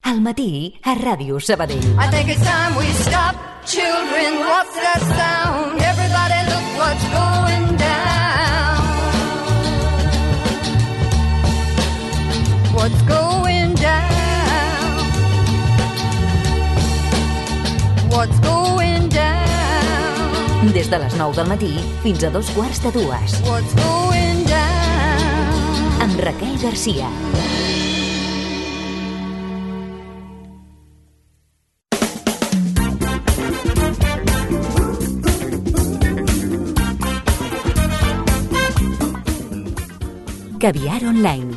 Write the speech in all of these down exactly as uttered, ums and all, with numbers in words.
Al matí a Ràdio Sabadell. I think it's time we stop. Children, what's that sound? Everybody look what's going down. What's going down? What's going down? Des de les nou del matí fins a dos quarts de dues. What's going down? Amb Raquel Garcia. Caviar Online.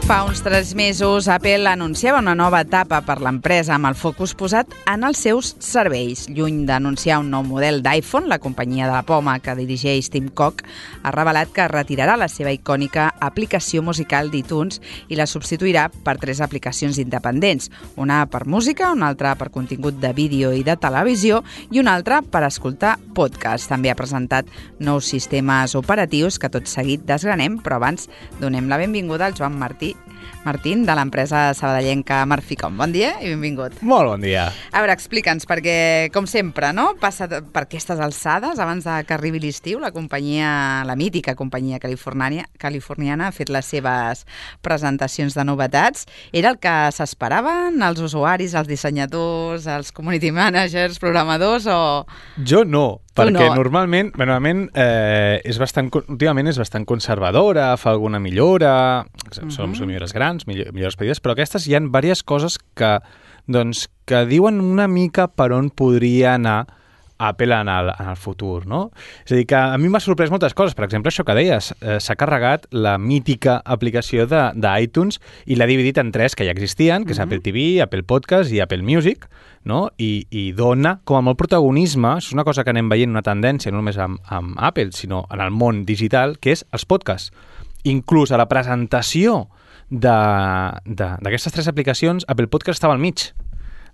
Fa uns tres mesos, Apple anunciava una nova etapa per l'empresa amb el focus posat en els seus serveis. Lluny d'anunciar un nou model d'iPhone, la companyia de la poma que dirigeix Tim Cook ha revelat que retirarà la seva icònica aplicació musical d'iTunes i la substituirà per tres aplicacions independents, una per música, una altra per contingut de vídeo i de televisió i una altra per escoltar podcast. També ha presentat nous sistemes operatius que tot seguit desgranem, però abans donem la benvinguda al Joan Martí Martín, de l'empresa sabadellenca Marficom. Bon dia i benvingut. Molt bon dia. A veure, explica'ns, perquè, com sempre, no? Passa per aquestes alçades, abans de que arribi l'estiu, la companyia, la mítica companyia californiana, californiana ha fet les seves presentacions de novetats. Era el que s'esperaven els usuaris, els dissenyadors, els community managers, programadors, o...? Jo no, perquè no. normalment, normalment eh, és bastant, últimament és bastant conservadora, fa alguna millora, uh-huh. són, són millores grans, millores petites, però aquestes hi ha diverses coses que, doncs, que diuen una mica per on podria anar Apple en el, en el futur, no? És a dir, que a mi m'ha sorprès moltes coses. Per exemple, això que deies, eh, s'ha carregat la mítica aplicació d'iTunes i l'ha dividit en tres que ja existien, que és uh-huh. Apple T V, Apple Podcast i Apple Music, no? I, i dona com a molt protagonisme, és una cosa que anem veient, una tendència, no només amb, amb Apple, sinó en el món digital, que és els podcasts. Inclús a la presentació d'aquestes tres aplicacions, Apple Podcast estava al mig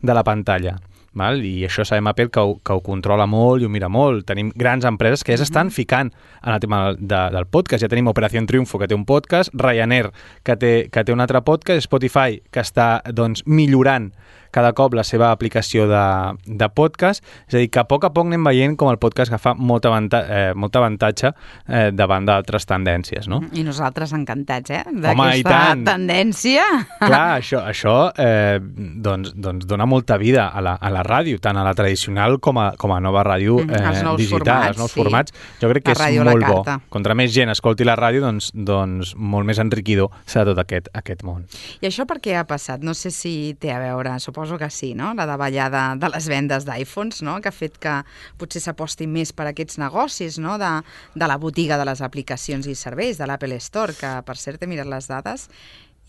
de la pantalla. Val? I això sabem Apple que ho, que ho controla molt i ho mira molt. Tenim grans empreses que ja s'estan ficant en el tema de, del podcast. Ja tenim Operación Triunfo, que té un podcast, Ryanair, que té, que té un altre podcast, Spotify, que està doncs, millorant cada cop la seva aplicació de, de podcast. És a dir, que a poc a poc anem veient com el podcast agafa molt avantatge, eh, molt avantatge eh, davant d'altres tendències, no? I nosaltres encantats, eh? D'aquesta tendència. Clar, això, això eh, doncs, doncs dona molta vida a la, a la ràdio, tant a la tradicional com a, com a nova ràdio eh, els digital, formats, els nous sí. formats. Jo crec que la és molt bo. Contra més gent escolti la ràdio, doncs, doncs molt més enriquidor serà tot aquest, aquest món. I això per què ha passat? No sé si té a veure, suposo que sí, no? La davallada de les vendes d'iPhones, no? Que ha fet que potser s'aposti més per aquests negocis, no? De, de la botiga de les aplicacions i serveis, de l'Apple Store, que per cert he mirat les dades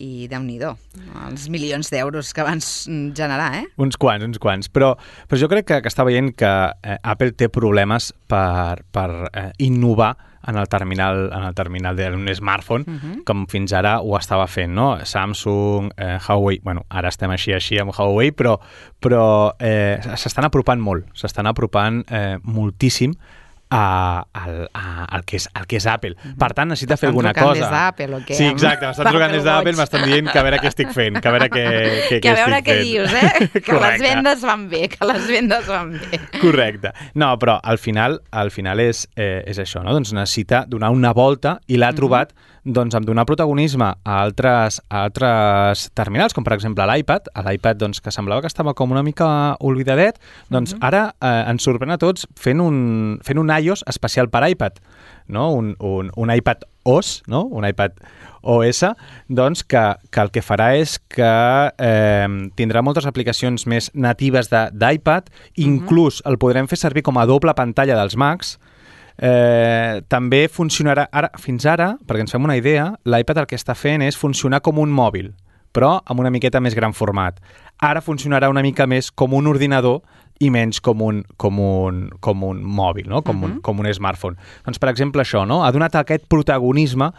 i Déu-n'hi-do, els milions d'euros que van generar, eh? Uns quants, uns quants. Però, però jo crec que, que està veient que eh, Apple té problemes per, per eh, innovar en el terminal, en el terminal d'un smartphone, uh-huh. com fins ara ho estava fent, no? Samsung, eh, Huawei, bueno, ara estem així així amb Huawei, però, però eh, s'estan apropant molt, s'estan apropant eh, moltíssim A, a, a, al, que és, al que és Apple. Per tant, necessita fer alguna cosa. M'estan trucant des d'Apple o què? Sí, exacte, m'estan trucant des d'Apple, m'estan dient que a veure què estic fent, que a veure què, què, que a veure què què dius, eh? Que les vendes van bé, que les vendes van bé. Correcte. No, però al final, al final és, eh, és això, no? Doncs necessita donar una volta i l'ha trobat doncs, amb donar protagonisme a altres, a altres terminals, com per exemple l'iPad, l'iPad doncs, que semblava que estava com una mica oblidadet, doncs uh-huh. ara eh, ens sorprèn a tots fent un, fent un iOS especial per iPad, no? un, un, un iPad O S, no? Un iPad O S, doncs que, que el que farà és que eh, tindrà moltes aplicacions més natives d'iPad, inclús uh-huh. el podrem fer servir com a doble pantalla dels Macs. Eh, també funcionarà, ara, fins ara, perquè ens fem una idea, l'iPad el que està fent és funcionar com un mòbil, però amb una miqueta més gran format. Ara funcionarà una mica més com un ordinador i menys com un, com un, com un mòbil, no? com, uh-huh. un, com un smartphone. Doncs, per exemple, això, no? Ha donat aquest protagonisme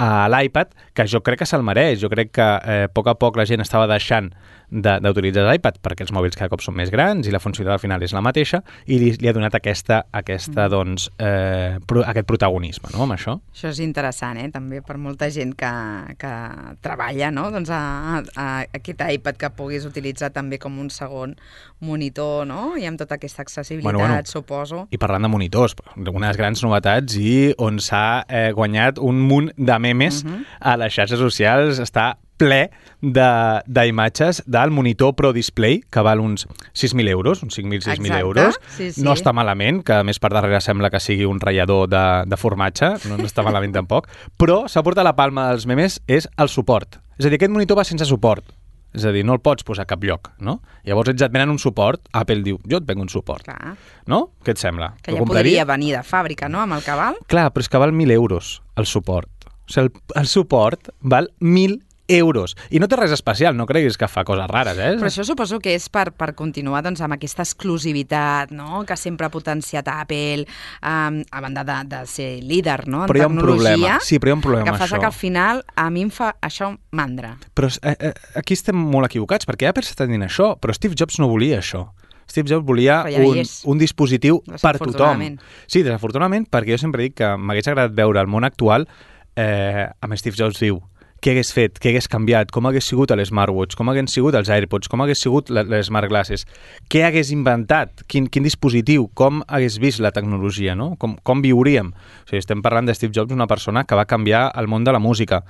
a l'iPad, que jo crec que se'l mereix. Jo crec que eh, a poc a poc la gent estava deixant d'utilitzar l'iPad, perquè els mòbils cada cop són més grans i la funcionalitat al final és la mateixa, i li, li ha donat aquesta, aquesta mm. doncs, eh, pro, aquest protagonisme, no?, amb això. Això és interessant, eh?, també per molta gent que, que treballa, no?, doncs a, a, a aquest iPad que puguis utilitzar també com un segon monitor, no?, i amb tota aquesta accessibilitat, bueno, bueno, suposo. I parlant de monitors, unes grans novetats i on s'ha eh, guanyat un munt de memes uh-huh. a les xarxes socials, està ple d'imatges de, del monitor Pro Display, que val uns sis mil euros, uns cinc mil, sis mil euros. Sí, sí. No està malament, que a més per darrere sembla que sigui un ratllador de, de formatge, no, no està malament tampoc, però s'ha portat la palma dels memes és el suport. És a dir, aquest monitor va sense suport. És a dir, no el pots posar a cap lloc, no? Llavors ells et venen un suport, Apple diu, jo et venc un suport. Clar. No? Què et sembla? Que ja podria venir de fàbrica, no?, amb el que val. Clar, però és que val mil euros el suport. O sigui, el, el suport val mil euros. I no té res especial, no creguis que fa coses rares, eh? Però això suposo que és per, per continuar doncs, amb aquesta exclusivitat, no?, que sempre ha potenciat Apple, um, a banda de, de ser líder, no?, en però hi ha un tecnologia. Problema. Sí, però hi ha un problema que amb fa això. Que al final a mi em fa això mandra. Però eh, eh, aquí estem molt equivocats, perquè Apple s'està dient això, però Steve Jobs no volia això. Steve Jobs volia ja un, un dispositiu per tothom. Sí, desafortunadament, perquè jo sempre dic que m'hagués agradat veure el món actual eh, amb Steve Jobs viu. Què hagués fet, què hagués canviat, com hagués sigut l'Smartwatch, com hagués sigut els AirPods, com hagués sigut les Smart Glasses, què hagués inventat, quin, quin dispositiu, com hagués vist la tecnologia, no? Com, com viuríem. O sigui, estem parlant de Steve Jobs, una persona que va canviar el món de la música,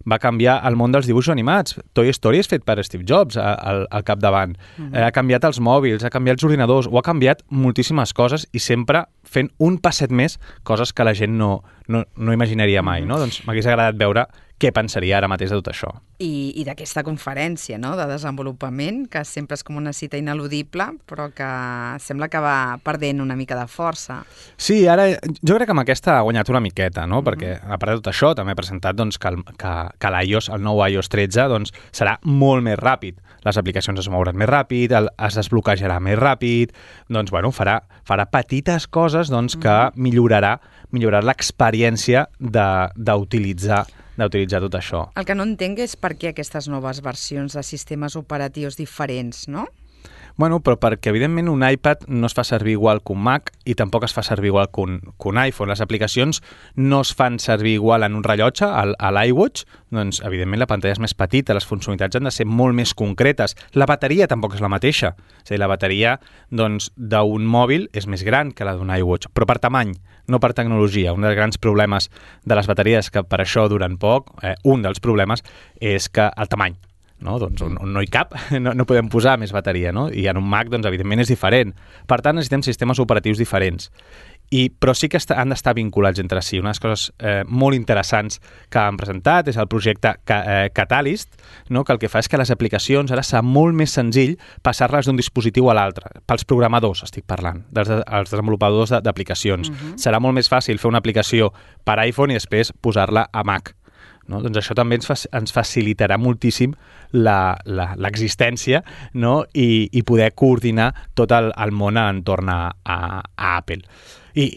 va canviar el món dels dibuixos animats. Toy Story és fet per Steve Jobs al, al capdavant. Mm-hmm. eh, ha canviat els mòbils, ha canviat els ordinadors, ho ha canviat moltíssimes coses i sempre fent un passet més, coses que la gent no, no, no imaginaria mai. Mm-hmm. No? Doncs m'hagués agradat veure què pensaria ara mateix de tot això. I, i d'aquesta conferència, no?, de desenvolupament, que sempre és com una cita ineludible, però que sembla que va perdent una mica de força. Sí, ara jo crec que amb aquesta ha guanyat una miqueta, no?, mm-hmm. perquè a part de tot això també ha presentat doncs, que, el, que, que l'iOS, el nou iOS tretze, doncs, serà molt més ràpid. Les aplicacions es mouran més ràpid, el, es desbloquejarà més ràpid, doncs, bueno, farà, farà petites coses doncs, que mm-hmm. millorarà, millorarà l'experiència d'utilitzar d'utilitzar tot això. El que no entenc és per què aquestes noves versions de sistemes operatius diferents, no? Bueno, però perquè, evidentment, un iPad no es fa servir igual que un Mac i tampoc es fa servir igual que un, que un iPhone. Les aplicacions no es fan servir igual en un rellotge, a l'iWatch, doncs, evidentment, la pantalla és més petita, les funcionalitats han de ser molt més concretes. La bateria tampoc és la mateixa. És a dir, la bateria doncs, d'un mòbil és més gran que la d'un iWatch, però per tamany, no per tecnologia. Un dels grans problemes de les bateries, que per això duren poc, eh, un dels problemes és que el tamany. No? Doncs on, on no hi cap, no, no podem posar més bateria, no? I en un Mac, doncs, evidentment, és diferent. Per tant, necessitem sistemes operatius diferents. I, però sí que està, han d'estar vinculats entre si. Una de les coses eh, molt interessants que han presentat és el projecte Ca, eh, Catalyst, no? Que el que fa és que les aplicacions ara serà molt més senzill passar-les d'un dispositiu a l'altre. Pels programadors estic parlant, dels els desenvolupadors d'aplicacions. Uh-huh. Serà molt més fàcil fer una aplicació per iPhone i després posar-la a Mac. No? Doncs això també ens, fa, ens facilitarà moltíssim l'existència, no? I, i poder coordinar tot el, el món entorn a, a, a Apple. I,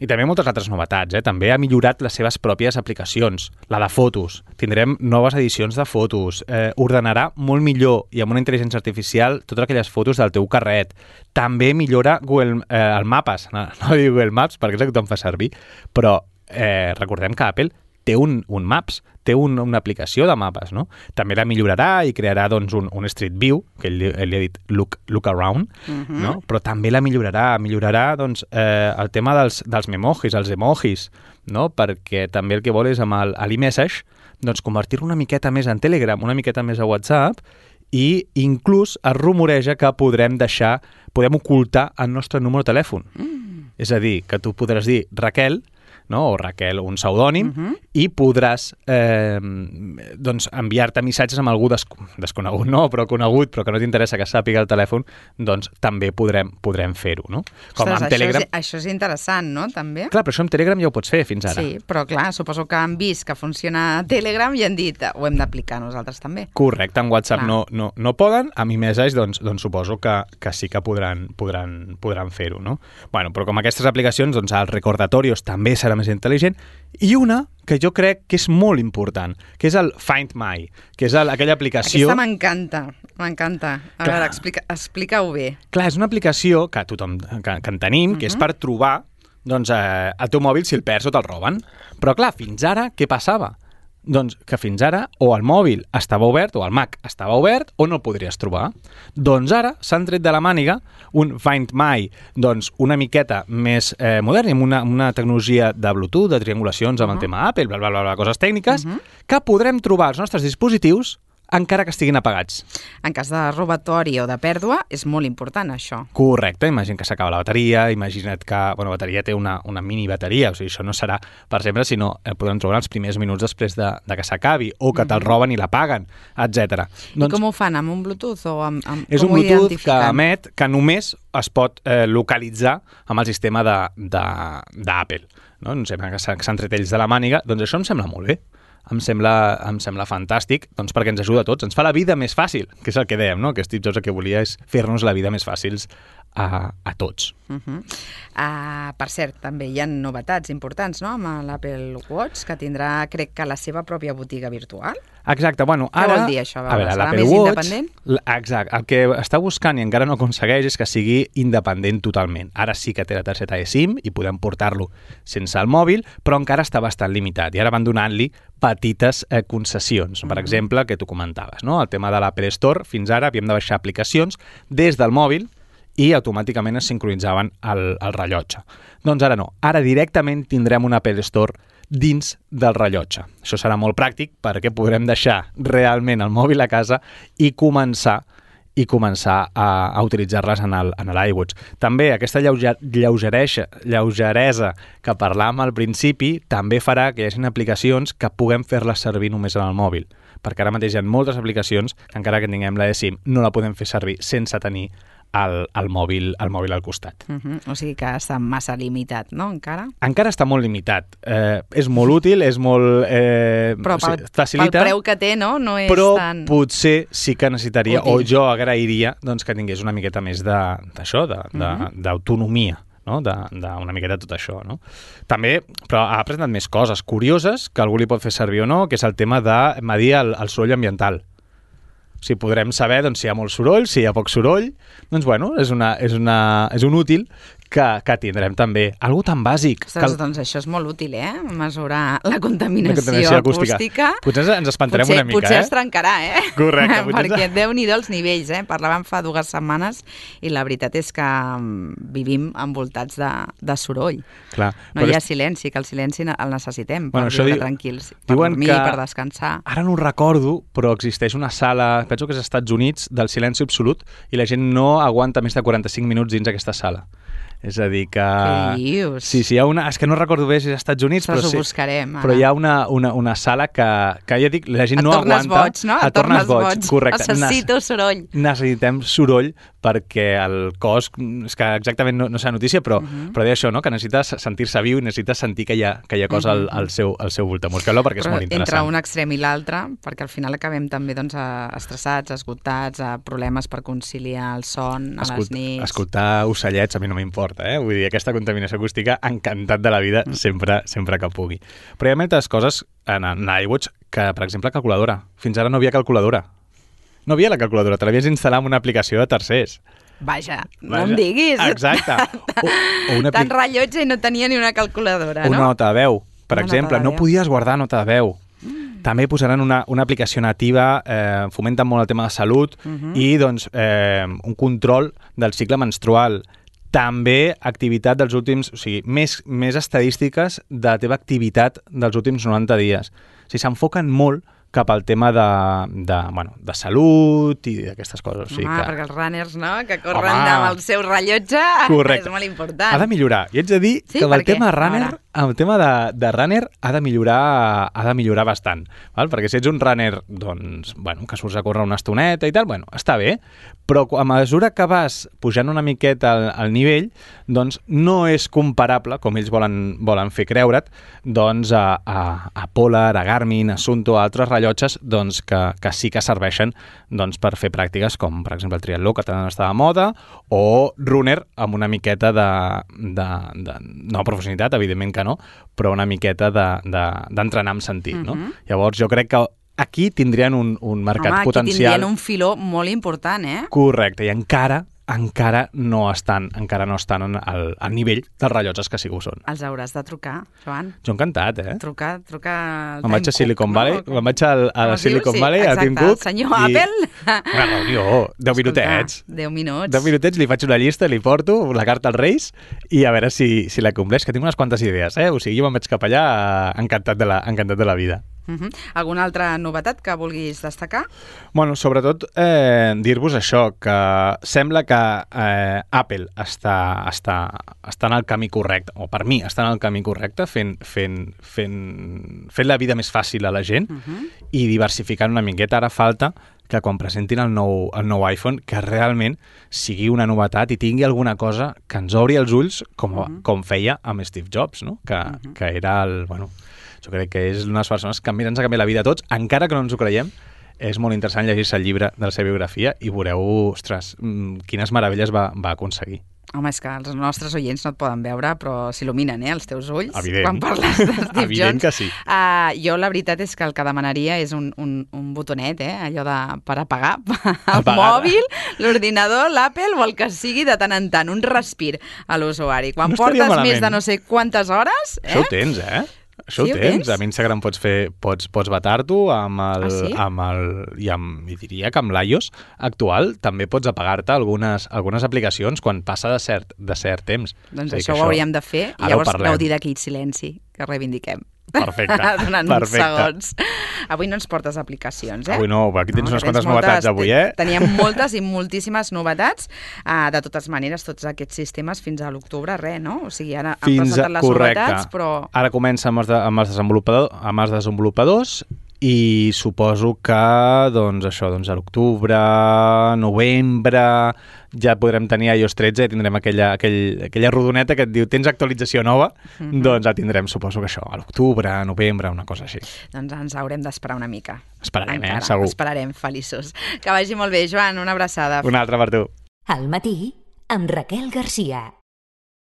I també moltes altres novetats. Eh? També ha millorat les seves pròpies aplicacions. La de fotos. Tindrem noves edicions de fotos. Eh, ordenarà molt millor i amb una intel·ligència artificial totes aquelles fotos del teu carret. També millora Google, eh, el Mapes. No, no dic Google Maps perquè és el que tothom fa servir, però eh, recordem que Apple té un, un Maps, té un, una aplicació de mapes, no? També la millorarà i crearà doncs, un, un Street View, que ell, ell li ha dit look, look around, uh-huh. no? Però també la millorarà, millorarà doncs, eh, el tema dels, dels memojis, els emojis, no? Perquè també el que vol és amb l'iMessage doncs, convertir-lo una miqueta més en Telegram, una miqueta més a WhatsApp, i inclús es rumoreja que podrem deixar, podem ocultar el nostre número de telèfon. Mm. És a dir, que tu podràs dir Raquel, no? O Raquel, un pseudònim, uh-huh. i podràs eh, doncs, enviar-te missatges amb algú des desconegut, no, però conegut, però que no t'interessa que sàpiga el telèfon, doncs també podrem, podrem fer-ho, no? Com Ostres, amb Telegram... Això és, això és interessant, no, també? Clar, però això amb Telegram ja ho pots fer fins ara. Sí, però clar, suposo que han vist que funciona Telegram i han dit, ho hem d'aplicar nosaltres també. Correcte, amb WhatsApp no, no, no poden, amb iMessage doncs, doncs suposo que, que sí que podran, podran, podran fer-ho, no? Bueno, però com aquestes aplicacions, doncs els recordatorios també serà més intel·ligent, i una que jo crec que és molt important, que és el Find My, que és el, aquella aplicació... Aquesta m'encanta, m'encanta. A Clar. veure, explica, explica-ho bé. Clar, és una aplicació que tothom que, que en tenim, uh -huh. que és per trobar doncs, eh, el teu mòbil si el perds o te'l roben. Però clar, fins ara, què passava? Doncs que fins ara o el mòbil estava obert o el Mac estava obert o no el podries trobar. Doncs ara s'han tret de la màniga un Find My doncs una miqueta més eh, modern, amb una, una tecnologia de Bluetooth, de triangulacions amb uh -huh. el tema Apple, bla, bla, bla, bla, coses tècniques, uh -huh. que podrem trobar als nostres dispositius encara que estiguin apagats. En cas de robatori o de pèrdua, és molt important, això. Correcte, imagina que s'acaba la bateria, imagina't que, bueno, la bateria té una, una mini bateria, o sigui, això no serà per sempre, sinó eh, podem trobar els primers minuts després de, de que s'acabi, o que te'l roben i la paguen, etcètera. I com ho fan, amb un Bluetooth o amb, amb és com un ho Bluetooth que identifiquen? emet, que només es pot eh, localitzar amb el sistema d'Apple, no? No sé, que s'han tret ells de la màniga, doncs això em sembla molt bé. Em sembla, em sembla fantàstic, doncs perquè ens ajuda a tots, ens fa la vida més fàcil, que és el que dèiem, no? Que Steve Jobs el que volia és fer-nos la vida més fàcils a, a tots. Uh -huh. uh, per cert, també hi ha novetats importants, no?, amb l'Apple Watch, que tindrà, crec que, la seva pròpia botiga virtual. Exacte, bueno, Què ara... vol dir això? A veure, Serà l'Apple més Watch, independent? Exacte, el que està buscant i encara no aconsegueix és que sigui independent totalment. Ara sí que té la targeta eSIM i podem portar-lo sense el mòbil, però encara està bastant limitat i ara van donant-li petites eh, concessions. Per exemple, que tu comentaves, no? El tema de l'Apple Store, fins ara havíem de baixar aplicacions des del mòbil i automàticament es sincronitzaven el, el rellotge. Doncs ara no, ara directament tindrem un Apple Store dins del rellotge. Això serà molt pràctic perquè podrem deixar realment el mòbil a casa i començar i començar a, a utilitzar-les en el, en l'iWatch. També aquesta lleuger, lleugeresa, lleugeresa que parlàvem al principi també farà que hi hagi aplicacions que puguem fer-les servir només en el mòbil, perquè ara mateix hi ha moltes aplicacions que encara que tinguem la eSIM no la podem fer servir sense tenir el, el, mòbil, el mòbil al costat. Uh -huh. O sigui que està massa limitat, no?, encara? Encara està molt limitat. Eh, és molt útil, és molt... Eh, però o sigui, pel, facilita, pel preu que té, no? No és però tan... potser sí que necessitaria, útil. o jo agrairia, doncs, que tingués una miqueta més d'això, d'autonomia. Uh -huh. No? d'una miqueta tot això, no? També, però ha presentat més coses curioses que algú li pot fer servir o no, que és el tema de medir el, el soroll ambiental. O sigui, podrem saber doncs, si hi ha molt soroll, si hi ha poc soroll, doncs bueno, és, una, és, una, és un útil que, que tindrem també. Algo tan bàsic. Ostres, que... doncs això és molt útil, eh? Mesurar la contaminació, la contaminació acústica. acústica. Potser ens espantarem potser, una mica, potser eh? es trencarà, eh? Correcte. Perquè déu-n'hi-do els nivells, eh? Parlàvem fa dues setmanes i la veritat és que vivim envoltats de, de soroll. Clar, no hi ha és... silenci, que el silenci el necessitem per bueno, viure diu... tranquils, per dormir, que... per descansar. Ara no ho recordo, però existeix una sala, penso que és als Estats Units, del silenci absolut, i la gent no aguanta més de quaranta-cinc minuts dins aquesta sala. És a dir que... Què dius? Sí, sí, hi ha una... És que no recordo bé si és als Estats Units, però, sí, ho buscarem, però hi ha una, una, una sala que, que ja dic, la gent et no aguanta... Et tornes boig, no? Et tornes boig, correcte. Necessito soroll. Necessitem soroll perquè el cos... És que exactament no, no sé la notícia, però, uh -huh. però deia això, no? Que necessites sentir-se viu i necessites sentir que hi ha, que hi ha cosa uh -huh. al, al, seu, al seu voltant. Busqueu-lo perquè però és molt interessant. Entre un extrem i l'altre, perquè al final acabem també doncs, estressats, esgotats, a problemes per conciliar el son a Escolt, les nits... Escoltar ocellets a mi no m'importa, eh? Vull dir, aquesta contaminació acústica, encantat de la vida sempre, sempre que pugui. Però hi ha moltes coses en, en l'iWatch que, per exemple, calculadora. Fins ara no havia calculadora. No havia la calculadora, te l'havies d'instal·lar en una aplicació de tercers. Vaja, no Vaja. em diguis. Exacte. O, o una Tant rellotge i no tenia ni una calculadora, o una no? nota de veu, per una exemple. No podies guardar nota de veu. Mm. També posaran una, una aplicació nativa, eh, fomenten molt el tema de salut uh -huh. i doncs, eh, un control del cicle menstrual. També activitat dels últims... O sigui, més, més estadístiques de la teva activitat dels últims noranta dies. O sigui, s'enfoquen molt cap al tema de, de, bueno, de salut i d'aquestes coses. O sigui Home, que... perquè els runners, no?, que corren Home. amb el seu rellotge, correcte. és molt important. Ha de millorar. I haig de dir sí, que amb el tema què? runner, el tema de, de runner ha de millorar, ha de millorar bastant, val? Perquè si ets un runner, doncs, bueno, que surts a córrer una estoneta i tal, bueno, està bé, però a mesura que vas pujant una miqueta al, al nivell, doncs no és comparable, com ells volen, volen fer creure't, doncs a, a, a Polar, a Garmin, a Sunto, a altres rellotges rellotges doncs, que, que sí que serveixen doncs, per fer pràctiques com, per exemple, el triatló, que tant està de moda, o runner amb una miqueta de, de, de no professionalitat, evidentment que no, però una miqueta d'entrenar de, de, amb sentit. Uh-huh. No? Llavors, jo crec que aquí tindrien un, un mercat Home, potencial. Home, aquí tindrien un filó molt important, eh? Correcte, i encara encara no estan encara no estan al, al nivell dels rellotges que sí que ho són. Els hauràs de trucar, Joan. Jo encantat, eh? Trucar, trucar... Me'n vaig a Silicon Valley, no? me'n vaig a, a no, Silicon sí, Valley, a Tim Cook. Senyor i... Apple. Una reunió, deu minutets. deu minuts. Deu minutets, li faig una llista, li porto la carta als Reis i a veure si, si la compleix, que tinc unes quantes idees, eh? O sigui, jo me'n vaig cap allà encantat de la, encantat de la vida. Uh-huh. Alguna altra novetat que vulguis destacar? Bueno, sobretot eh, dir-vos això, que sembla que eh, Apple està, està, està en el camí correcte, o per mi està en el camí correcte, fent, fent, fent, fent la vida més fàcil a la gent uh-huh. i diversificant una miqueta. Ara falta que quan presentin el nou, el nou iPhone, que realment sigui una novetat i tingui alguna cosa que ens obri els ulls, com, uh-huh. com feia amb Steve Jobs, no? que, uh-huh. que era el... Bueno, jo crec que és una de les persones que més ens ha canviat la vida a tots, encara que no ens ho creiem. És molt interessant llegir-se el llibre de la seva biografia i veureu, ostres, quines meravelles va, va aconseguir. Home, és que els nostres oients no et poden veure, però s'il·luminen, eh, els teus ulls. Evident. Quan parles de Steve Evident Jobs. que sí. Uh, jo la veritat és que el que demanaria és un, un, un botonet, eh, allò de per apagar el Apagar. mòbil, l'ordinador, l'Apple o el que sigui de tant en tant, un respir a l'usuari. Quan No estaria portes malament. més de no sé quantes hores... Eh? Això ho tens, eh? Això Sí, ho ho tens. tens? A Instagram pots fer, pots, pots vetar-t'ho amb el, Ah, sí? amb el, i amb, i diria que amb l'iOS actual també pots apagar-te algunes, algunes aplicacions quan passa de cert, de cert temps. Doncs És a dir, això que ho hauríem de fer i ara ho llavors parlem. gaudir d'aquell silenci que reivindiquem. Perfecte, Durant perfecte. uns segons. Avui no ens portes aplicacions, eh? Avui no, aquí tens que unes quantes moltes- novetats avui, eh? Teníem moltes i moltíssimes novetats. Uh, de totes maneres, tots aquests sistemes fins a l'octubre, res, no? O sigui, ara han Fins a, presentat les correcte. novetats, però... Ara comença amb els, de, amb els, desenvolupador, amb els desenvolupadors i suposo que doncs, això, doncs, a l'octubre, novembre, ja podrem tenir iOS tretze i tindrem aquella, aquell, aquella rodoneta que et diu tens actualització nova, mm-hmm. doncs ja tindrem, suposo que això, a l'octubre, novembre, una cosa així. Doncs ens haurem d'esperar una mica. Esperarem, Encara, eh? Segur. Esperarem, feliços. Que vagi molt bé, Joan, una abraçada. Una altra per tu. Al matí, amb Raquel Garcia.